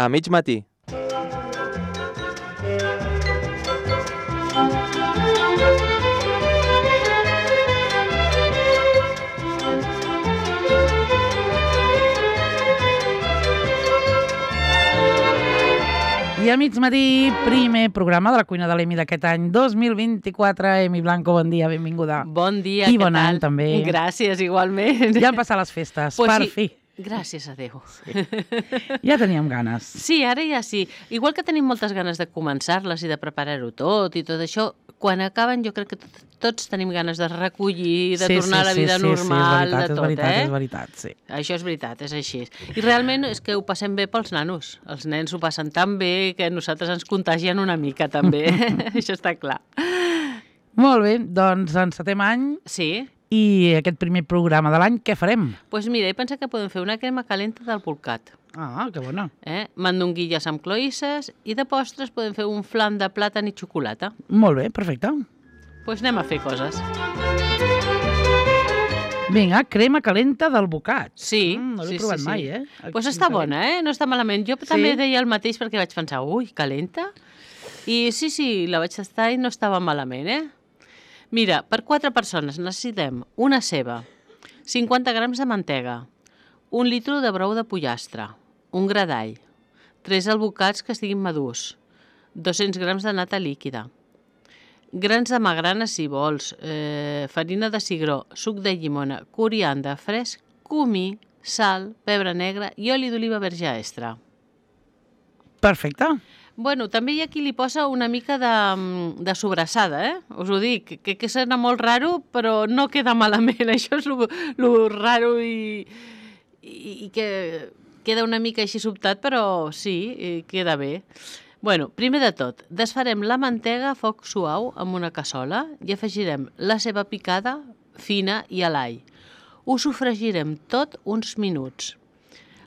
A mig matí. I al mig matí, primer programa de la cuina de l'Emi d'aquest any 2024. Emi Blanco, bon dia, benvinguda. Bon dia, I què bon tal? any, també. Gràcies, igualment. Ja han passat les festes, Pues per sí. fi. Gràcies a Déu. Sí. Ja teníem ganes. Sí, ara ja sí. Igual que tenim moltes ganes de començar-les i de preparar-ho tot i tot això, quan acaben jo crec que tots tenim ganes de recollir, de tornar a la vida normal, de tot, és veritat, sí. Això és veritat, és així. I realment és que ho passem bé pels nanos. Els nens ho passen tan bé que nosaltres ens contagien una mica també. Això està clar. Molt bé, doncs encetem any. Sí. I aquest primer programa de l'any, què farem? Doncs mira, he pensat que podem fer una crema calenta del bolcat. Ah, que bona. Mandonguilles amb cloïsses i de postres podem fer un flam de plàtan i xocolata. Molt bé, perfecte. Doncs anem a fer coses. Vinga, crema calenta del bocat. Sí. No l'he provat mai, Doncs està bona, no està malament. Jo també deia el mateix perquè vaig pensar, ui, calenta? I sí, la vaig tastar i no estava malament, Mira, per 4 persones necessitem una ceba, 50 grams de mantega, 1 litre de brou de pollastre, un gra d'all, 3 albocats que estiguin madurs, 200 grams de nata líquida, grans de magrana si vols, farina de cigró, suc de llimona, coriandre fresc, comí, sal, pebre negre i oli d'oliva verge extra. Perfecte. Bueno, també hi ha qui li posa una mica de sobrassada, Us ho dic, que sona molt raro, però no queda malament. Això és lo raro i que queda una mica així sobtat, però sí, queda bé. Bueno, primer de tot, desfarem la mantega a foc suau amb una cassola i afegirem la ceba picada, fina i l'all. Ho sofregirem tot uns minuts.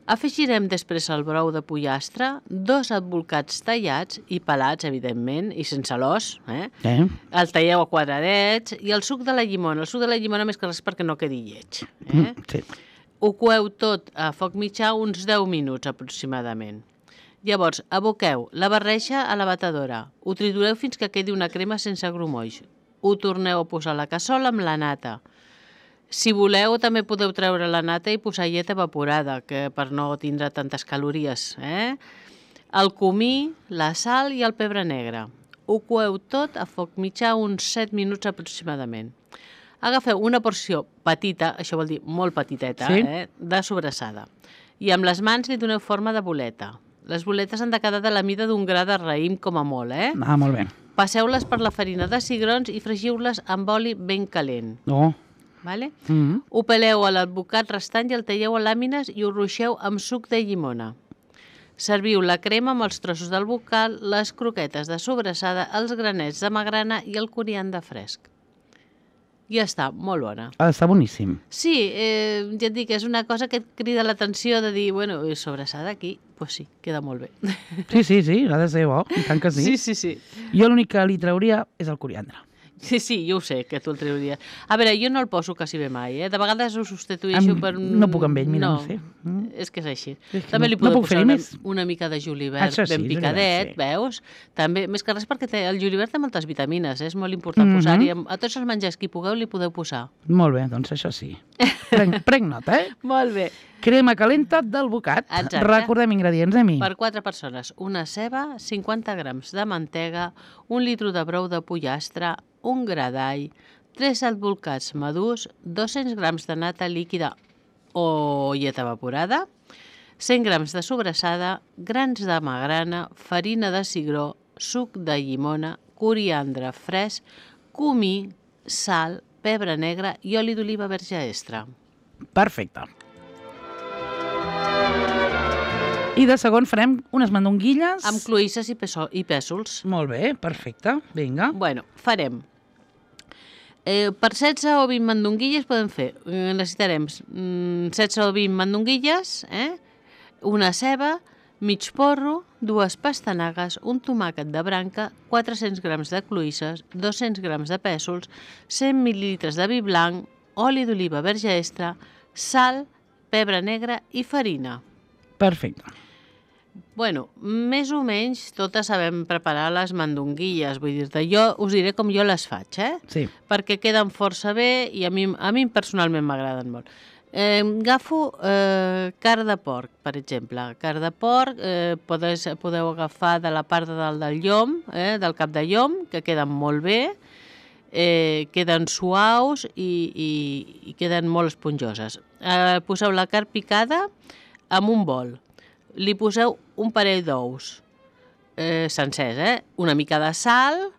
Afegirem després el brou de pollastre, 2 adbolcats tallats i pelats, evidentment, i sense l'os. El talleu a quadradets i el suc de la llimona. El suc de la llimona més que res perquè no quedi lleig. Sí. Ho coeu tot a foc mitjà uns 10 minuts aproximadament. Llavors, aboqueu la barreja a la batedora. Ho tritureu fins que quedi una crema sense grumolls. Ho torneu a posar a la cassola amb la nata. Si voleu, també podeu treure la nata i posar llet evaporada, que per no tindre tantes calories. El comí, la sal i el pebre negre. Ho coeu tot a foc mitjà uns 7 minuts aproximadament. Agafeu una porció petita, això vol dir molt petiteta, de sobrassada. I amb les mans li doneu forma de boleta. Les boletes han de quedar de la mida d'un gra de raïm com a molt, Ah, molt bé. Passeu-les per la farina de cigrons i fregiu-les amb oli ben calent. Vale? Ho peleu a l'advocat restant i el talleu a làmines i ho ruixeu amb suc de llimona. Serviu la crema amb els trossos del bocal, les croquetes de sobrassada, els granets de magrana i el coriandre fresc. Ja està, molt bona. Està boníssim. Sí, ja et dic, és una cosa que et crida l'atenció de dir, bueno, sobrassada aquí, doncs sí, queda molt bé. Sí, ha de ser bo, i tant que sí. Sí. Jo l'únic que li trauria és el coriandre. Sí, jo ho sé, que tu el trauries. A veure, jo no el poso quasi bé mai, De vegades ho substitueixo per un... No puc amb ell, mira, no sé. És que és així. També li podeu posar una mica de julivert ben picadet, veus? També, més que res perquè el julivert té moltes vitamines, és molt important posar-hi. A tots els menjars que hi pugueu li podeu posar. Molt bé, doncs això sí. Prenc nota, Molt bé. Crema calenta del bocat. Exacte. Recordem ingredients, Emi. Per 4 persones, una ceba, 50 grams de mantega, 1 litre de brou de pollastre, un gra d'all, 3 adbolcats madurs, 200 grams de nata líquida o llet evaporada, 100 grams de sobrassada, grans de magrana, farina de cigró, suc de llimona, coriandre fresc, comí, sal, pebre negre i oli d'oliva verge extra. Perfecte. I de segon farem unes mandonguilles... Amb cloïsses i pèsols. Molt bé, perfecte. Vinga. Bueno, farem. Per 16 o 20 mandonguilles podem fer. Necessitarem 16 o 20 mandonguilles, una ceba, mig porro, 2 pastanagues, un tomàquet de branca, 400 grams de cloïsses, 200 grams de pèsols, 100 mil·lilitres de vi blanc, oli d'oliva verge extra, sal, pebre negre i farina. Perfecte. Bueno, més o menys totes sabem preparar les mandonguilles, vull dir-te, jo us diré com jo les faig, Sí. perquè queden força bé i a mi personalment m'agraden molt. Agafo carn de porc, per exemple. Carn de porc podeu agafar de la part de dalt del llom, del cap de llom, que queden molt bé, queden suaus i queden molt esponjoses. Poseu la carn picada en un bol. Li poseu un parell d'ous sencers, una mica de sal,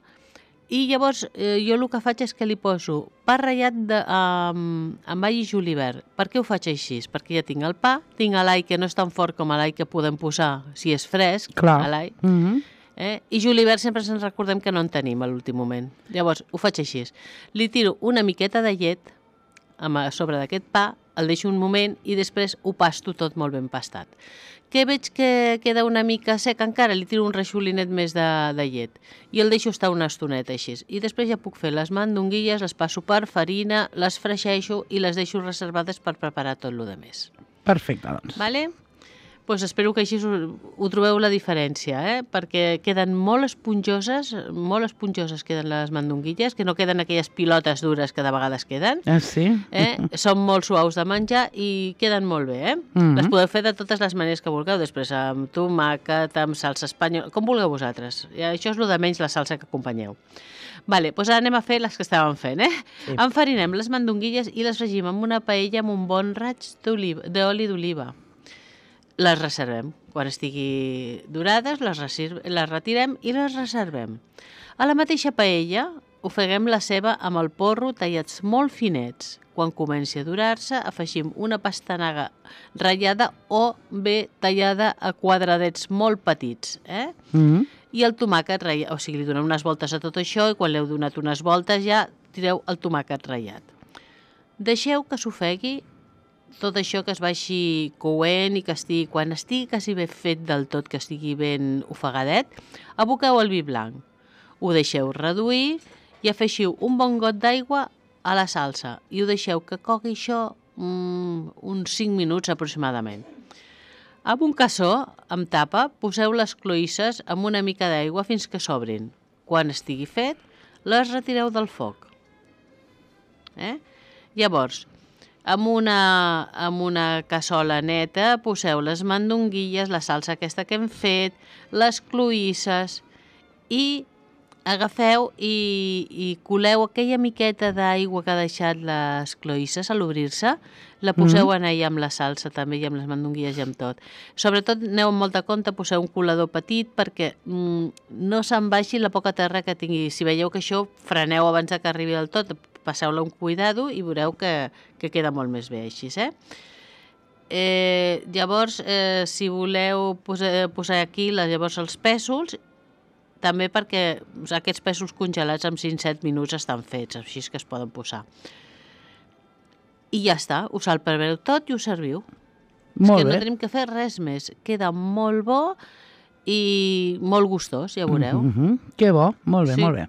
i llavors jo el que faig és que li poso pa ratllat amb all i julivert. Per què ho faig així? Perquè ja tinc el pa, tinc l'all que no és tan fort com l'all que podem posar si és fresc. Clar. L'all. I julivert sempre ens recordem que no en tenim a l'últim moment. Llavors ho faig així. Li tiro una miqueta de llet a sobre d'aquest pa, el deixo un moment i després ho pasto tot molt ben pastat. Que veig que queda una mica sec encara, li tiro un reixolinet més de llet i el deixo estar una estoneta així. I després ja puc fer les mandonguilles, les passo per farina, les freixeixo i les deixo reservades per preparar tot el que més. Perfecte, doncs. Vale? Pues espero que així ho trobeu la diferència, perquè queden molt esponjoses queden les mandonguilles, que no queden aquelles pilotes dures que de vegades queden. Sí? Són molt suaus de menjar i queden molt bé, Les podeu fer de totes les maneres que vulgueu, després amb tomàquet, amb salsa espanyola, com vulgueu vosaltres. I això és el de menys la salsa que acompanyeu. Vale, doncs ara anem a fer les que estàvem fent, Sí. Enfarinem les mandonguilles i les fregim amb una paella amb un bon raig d'oli d'oliva. Les reservem. Quan estigui dorades, les retirem i les reservem. A la mateixa paella ofeguem la ceba amb el porro tallats molt finets. Quan comenci a dorar-se, afegim una pastanaga ratllada o bé tallada a quadradets molt petits. I el tomàquet ratllat, o sigui, li donem unes voltes a tot això i quan li heu donat unes voltes ja tireu el tomàquet ratllat. Deixeu que s'ofegui tot això, que es vagi coent i que quan estigui quasi ben fet del tot, que estigui ben ofegadet, aboqueu el vi blanc. Ho deixeu reduir i afegiu un bon got d'aigua a la salsa i ho deixeu que cogui això uns 5 minuts aproximadament. Amb un cassó, amb tapa, poseu les cloïsses amb una mica d'aigua fins que s'obrin. Quan estigui fet, les retireu del foc. Llavors, amb una cassola neta poseu les mandonguilles, la salsa aquesta que hem fet, les cloïsses i agafeu i coleu aquella miqueta d'aigua que ha deixat les cloïsses a l'obrir-se, la poseu en allà amb la salsa també i amb les mandonguilles i amb tot. Sobretot aneu amb molta compte, poseu un colador petit perquè no se'n baixi la poca terra que tingui. Si veieu que això, freneu abans que arribi del tot, passeu-la un cuidado i veureu que queda molt més bé així, Llavors, si voleu posar aquí llavors els pèsols, també perquè aquests pèsols congelats en 5-7 minuts estan fets, així que es poden posar. I ja està, ho salpebeu tot i ho serviu. Molt bé. No tenim que fer res més. Queda molt bo i molt gustós, ja veureu. Que bo, molt bé, molt bé.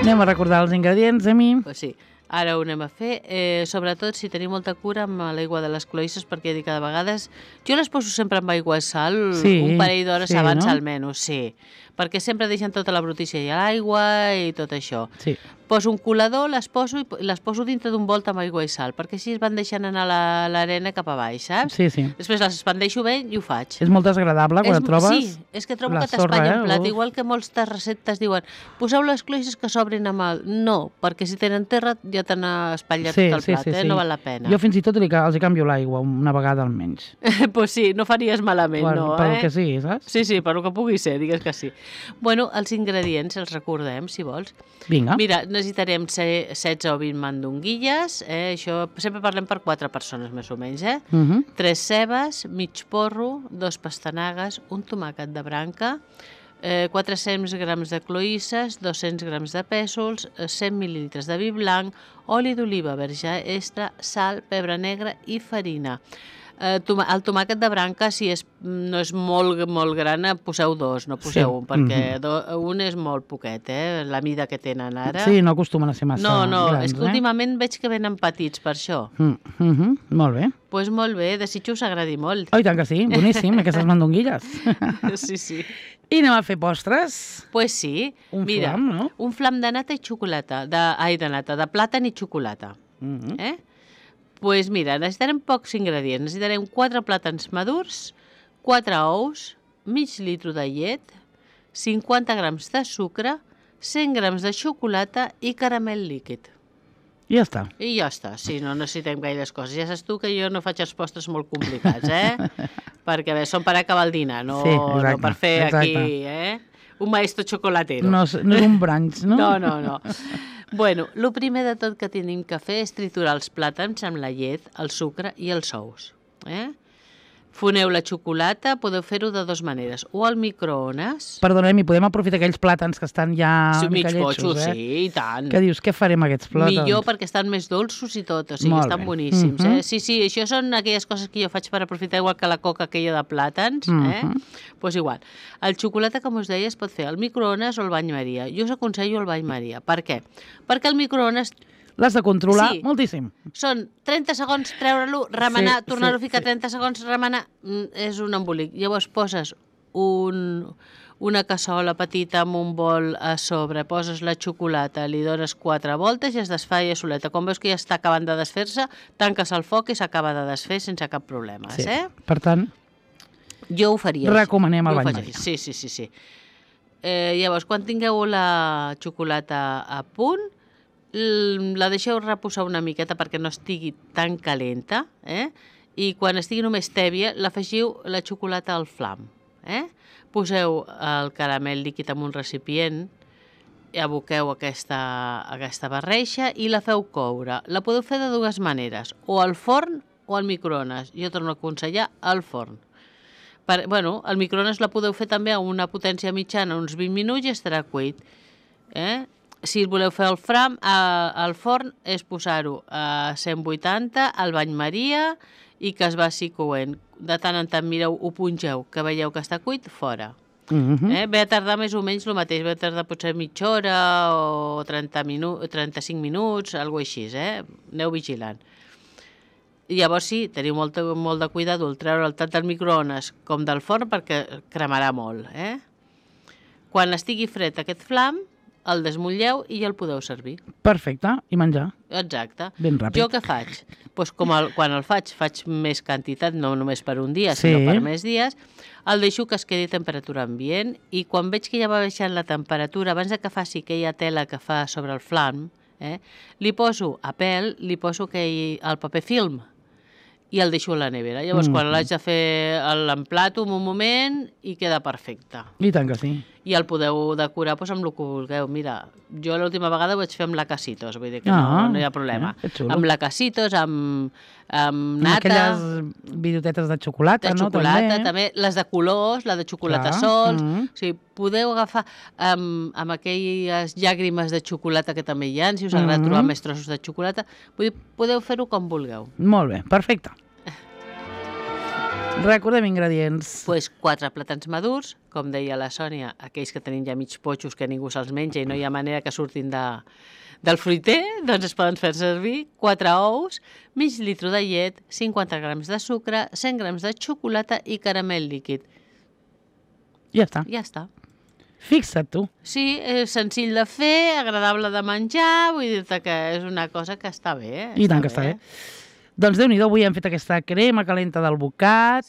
Anem a recordar els ingredients, Emi. Pues sí, ara ho anem a fer. Sobretot si teniu molta cura amb l'aigua de les cloïsses, perquè dic que de vegades... Jo les poso sempre amb aigua i sal, un parell d'hores abans almenys, sí. Perquè sempre deixen tota la brutícia i l'aigua i tot això. Sí. Poso un colador, les poso dintre d'un bol amb aigua i sal, perquè així es van deixant anar l'arena cap a baix, saps? Sí, sí. Després les expandeixo bé i ho faig. És molt desagradable quan et trobes Sí, és que trobo que t'espanya en plat, igual que moltes receptes diuen poseu les cloïsses que s'obrin amb el... No, perquè si tenen terra ja t'han espatllat tot el plat, no val la pena. Jo fins i tot els canvio l'aigua una vegada almenys. Pues sí, no faries malament, no? Per el que sigui, saps? Sí, sí, per el que pugui ser, digues que sí. Bueno, els ingredients els recordem, si vols. Vinga. Mira, necessitarem 16 o 20 mandonguilles, això sempre parlem per 4 persones més o menys, 3 cebes, mig porro, 2 pastanagues, un tomàquet de branca, 400 grams de cloïsses, 200 grams de pèsols, 100 mil·lilitres de vi blanc, oli d'oliva verge extra, sal, pebre negre i farina. El tomàquet de branca, si no és molt, molt gran, poseu 2, no poseu un, perquè un és molt poquet, la mida que tenen ara. Sí, no acostumen a ser massa grans. No, és que últimament veig que venen petits, per això. Molt bé. Doncs molt bé, desitjo us agradi molt. Oh, i tant que sí, boníssim, aquestes mandonguilles. Sí. I anem a fer postres? Doncs sí. Mira, flam, no? Un flam de nata i xocolata, de plàtan i xocolata. Doncs mira, necessitarem pocs ingredients. Necessitarem 4 plàtans madurs, 4 ous, mig litre de llet, 50 grams de sucre, 100 grams de xocolata i caramel líquid. I ja està. I ja està, sí, no necessitem gaires coses. Ja saps tu que jo no faig els postres molt complicats, Perquè bé, són per acabar el dinar, no per fer aquí, un maestro chocolatero. No és un brunch, no? No. Bueno, el primer de tot que tenim que fer és triturar els plàtans amb la llet, el sucre i els ous. Foneu la xocolata, podeu fer-ho de 2 maneres, o al microones... Perdoneu, podem aprofitar aquells plàtans que estan ja mica lletjos, Sí, i tant. Que dius, què farem amb aquests plàtans? Millor perquè estan més dolços i tot, o sigui, estan boníssims. Sí, això són aquelles coses que jo faig per aprofitar, igual que la coca aquella de plàtans, Doncs igual. El xocolata, com us deia, es pot fer al microones o al bany Maria. Jo us aconsello el bany Maria. Per què? Perquè el microones... L'has de controlar moltíssim. Són 30 segons, treure-lo, remenar, tornar-ho a ficar 30 segons, remenar, és un embolic. Llavors poses una cassola petita amb un bol a sobre, poses la xocolata, li dones 4 voltes i es desfà ja soleta. Quan veus que ja està acabant de desfer-se, tanques el foc i s'acaba de desfer sense cap problema. Per tant, jo ho faria. Recomanem el bany Maria. Sí. Llavors, quan tingueu la xocolata a punt, la deixeu reposar una miqueta perquè no estigui tan calenta, i quan estigui només tèbia, l'afegiu la xocolata al flam. Poseu el caramel líquid en un recipient, aboqueu aquesta barreixa i la feu coure. La podeu fer de 2 maneres, o al forn o al microones. Jo torno a aconsellar al forn. Al microones la podeu fer també a una potència mitjana, uns 20 minuts i estarà cuit. Si voleu fer el flam, al forn és posar-ho a 180 al bany Maria i que es vagi coent. De tant en tant mireu, ho pungeu, que veieu que està cuit, fora. Ve a tardar més o menys el mateix, ve a tardar potser mitja hora o 35 minuts, alguna cosa així, aneu vigilant. Llavors sí, teniu molt de cuidado al treure'l tant del microones com del forn perquè cremarà molt. Quan estigui fred aquest flam, el desmotlleu i ja el podeu servir. Perfecte, i menjar. Exacte. Ben ràpid. Jo què faig? Doncs quan el faig més quantitat, no només per un dia, sinó per més dies, el deixo que es quedi a temperatura ambient i quan veig que ja va baixant la temperatura, abans que faci aquella tela que fa sobre el flam, li poso a pèl, li poso el paper film i el deixo a la nevera. Llavors, quan l'haig de fer, l'emplato un moment i queda perfecte. I tant que sí. I el podeu decorar amb el que vulgueu. Mira, jo l'última vegada ho vaig fer amb la Casitos, vull dir que no hi ha problema. Amb la Casitos, amb nata... Amb aquelles bidotetes de xocolata, no? De xocolata, també. Les de colors, la de xocolata sols... O sigui, podeu agafar amb aquelles llàgrimes de xocolata que també hi ha, si us agrada trobar més trossos de xocolata, podeu fer-ho com vulgueu. Molt bé, perfecte. Recordem ingredients. Doncs 4 plàtans madurs, com deia la Sònia, aquells que tenim ja mig potxos que ningú se'ls menja i no hi ha manera que surtin del fruiter, doncs es poden fer servir 4 ous, mig litre de llet, 50 grams de sucre, 100 grams de xocolata i caramel líquid. Ja està. Ja està. Fixa't tu. Sí, és senzill de fer, agradable de menjar, vull dir-te que és una cosa que està bé. I tant que està bé. Doncs Déu-n'hi-do, avui hem fet aquesta crema calenta del bocat,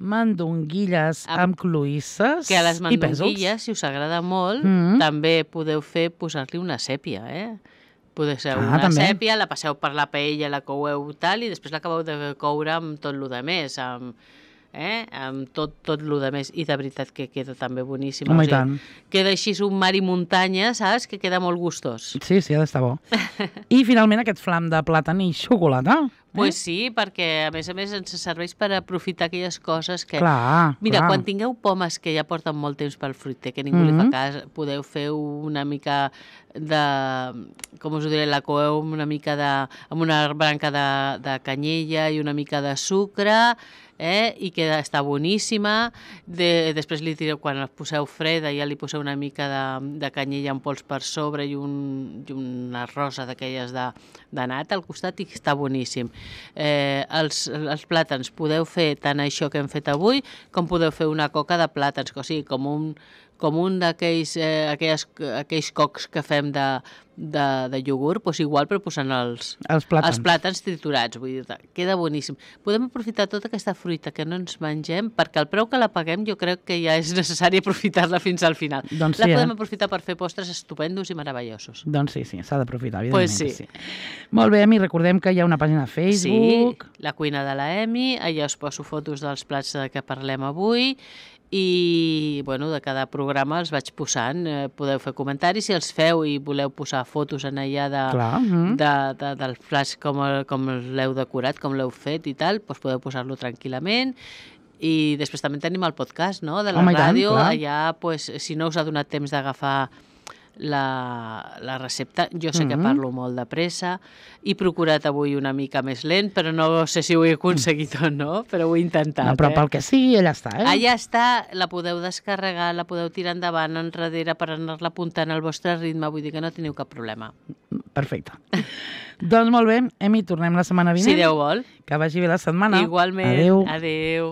mandonguilles amb cloïsses i pèsols. Que a les mandonguilles, si us agrada molt, també podeu posar-li una sèpia, Podeu ser una sèpia, la passeu per la paella, la coueu tal, i després l'acabeu de coure amb tot el que més, amb tot el que més, i de veritat que queda també boníssim. Home, i tant. Queda així un mar i muntanya, saps? Que queda molt gustós. Sí, ha d'estar bo. I finalment aquest flam de plàtan i xocolata. Pues sí, perquè a més ens serveix per aprofitar aquelles coses que... Clar, Mira, clar. quan tingueu pomes que ja porten molt temps pel fruiter, que ningú li fa cas, podeu fer una mica de... Com us ho diré? La coeu una mica amb una branca de canyella i una mica de sucre, i que està boníssima. Després li tireu, quan la poseu freda, ja li poseu una mica de canyella en pols per sobre i una rosa d'aquelles de nata al costat i està boníssim. Els plàtans podeu fer tant això que hem fet avui com podeu fer una coca de plàtans, o sigui, com un d'aquells cocs que fem de iogurt, doncs igual però posant els plàtans triturats, vull dir, queda boníssim. Podem aprofitar tota aquesta fruita que no ens mengem, perquè el preu que la paguem jo crec que ja és necessari aprofitar-la fins al final. Doncs la podem aprofitar per fer postres estupendos i meravellosos. Doncs sí, s'ha d'aprofitar, evidentment. Pues sí. Molt bé, Emi, recordem que hi ha una pàgina a Facebook. Sí, la cuina de la Emi, allà us poso fotos dels plats de què parlem avui, i bueno, de cada programa els vaig posant, podeu fer comentaris si els feu i voleu posar fotos en allà dels plats com l'heu decorat, com l'heu fet i tal, doncs podeu posar-lo tranquil·lament. I després també tenim el podcast, no?, de la ràdio, allà, pues, si no us ha donat temps d'agafar la recepta, jo sé que parlo molt de pressa, he procurat avui una mica més lent, però no sé si ho he aconseguit o no, però ho he intentat. No, però pel que sigui, allà està, Allà està, la podeu descarregar, la podeu tirar endavant, enrere, per anar-la apuntant al vostre ritme, vull dir que no teniu cap problema. Perfecte. Doncs molt bé, Emi, tornem la setmana vinent. Si Déu vol. Que vagi bé la setmana. Igualment. Adéu. Adéu.